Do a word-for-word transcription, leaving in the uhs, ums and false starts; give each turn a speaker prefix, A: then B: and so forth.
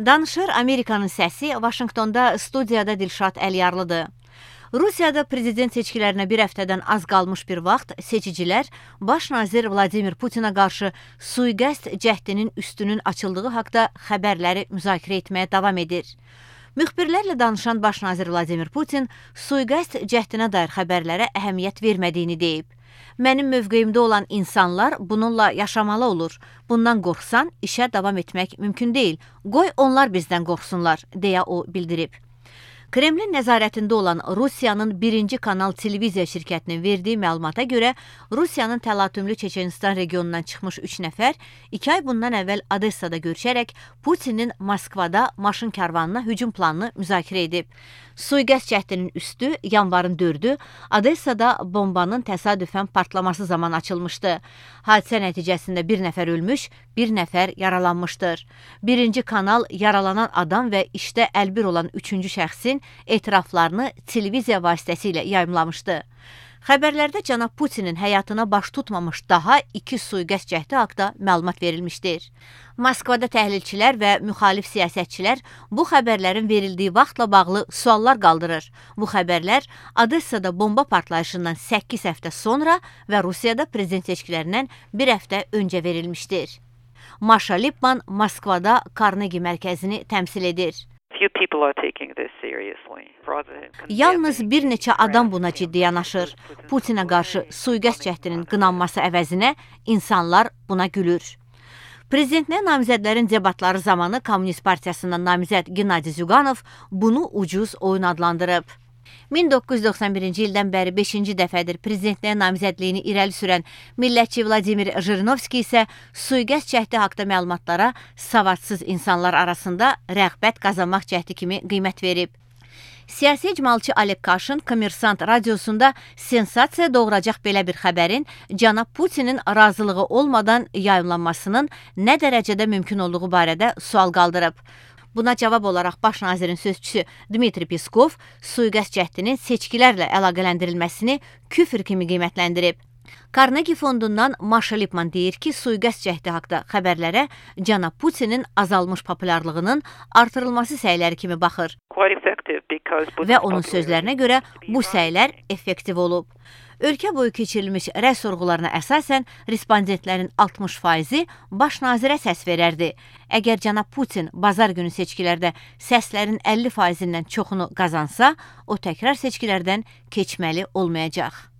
A: Danışır Amerikanın səsi, Vaşinqtonda studiyada Dilşad Əliyarlıdır. Rusiyada prezident seçkilərinə bir həftədən az qalmış bir vaxt seçicilər baş nazir Vladimir Putinə qarşı sui-qəsd cəhdinin üstünün açıldığı haqda xəbərləri müzakirə etməyə davam edir. Müxbirlərlə danışan baş nazir Vladimir Putin sui-qəsd cəhdinə dair xəbərlərə əhəmiyyət vermədiyini deyib. Mənim mövqeyimdə olan insanlar bununla yaşamalı olur. Bundan qorxsan, işə davam etmək mümkün deyil. Qoy onlar bizdən qorxsunlar, deyə o bildirib. Kremlin nəzarətində olan Rusiyanın birinci kanal televiziya şirkətinin verdiyi məlumata görə, Rusiyanın təlatümlü Çeçenistan regionundan çıxmış üç nəfər iki ay bundan əvvəl Odessada görüşərək Putinin Moskvada maşın karvanına hücum planını müzakirə edib. Sui-qəsd cəhdinin üstü yanvarın dördü Odessada bombanın təsadüfən partlaması zaman açılmışdı. Hadisə nəticəsində bir nəfər ölmüş, bir nəfər yaralanmışdır. Birinci kanal yaralanan adam və işdə əlbir olan üçüncü şəxsin etiraflarını televiziya vasitəsilə yayımlamışdı. Xəbərlərdə cənab Putinin həyatına baş tutmamış daha iki sui-qəsd cəhdi haqda məlumat verilmişdir. Moskvada təhlilçilər və müxalif siyasətçilər bu xəbərlərin verildiyi vaxtla bağlı suallar qaldırır. Bu xəbərlər Odessada bomba partlayışından səkkiz həftə sonra və Rusiyada prezident seçkilərindən bir həftə öncə verilmişdir. Maşa Lipman Moskvada Karnegi mərkəzini təmsil edir. Yalnız bir neçə adam buna ciddi yanaşır. Putinə qarşı sui-qəsd cəhdinin qınanması əvəzinə insanlar buna gülür. Prezidentliyə namizədlərin debatları zamanı Komünist Partiyasından namizəd Gennadiy Zyuganov bunu ucuz oyun adlandırıb. min doqquz yüz doxsan birinci ildən bəri beşinci dəfədir prezidentliyə namizədliyini irəli sürən millətçi Vladimir Jirinovski isə sui-qəsd cəhdi haqda məlumatlara savadsız insanlar arasında rəğbət qazanmaq cəhdi kimi qiymət verib. Siyasi icmalçı Alek Kaşin Kommersant radiosunda sensasiya doğuracaq belə bir xəbərin cənab Putinin razılığı olmadan yayımlanmasının nə dərəcədə mümkün olduğu barədə sual qaldırıb. Buna cavab olaraq baş nazirin sözçüsü Dmitri Peskov sui-qəsd cəhdinin seçkilərlə əlaqələndirilməsini küfr kimi qiymətləndirib. Karnegi fondundan Maşa Lipman deyir ki, sui-qəsd cəhdi haqda xəbərlərə cənab Putinin azalmış populyarlığının artırılması səyləri kimi baxır. Və onun sözlərinə görə bu səylər effektiv olub. Ölkə boyu keçirilmiş rəy sorğularına əsasən respondentlərin altmış faizi baş nazirə səs verərdi. Əgər cənab Putin bazar günü seçkilərdə səslərin əlli faizindən çoxunu qazansa, o təkrar seçkilərdən keçməli olmayacaq.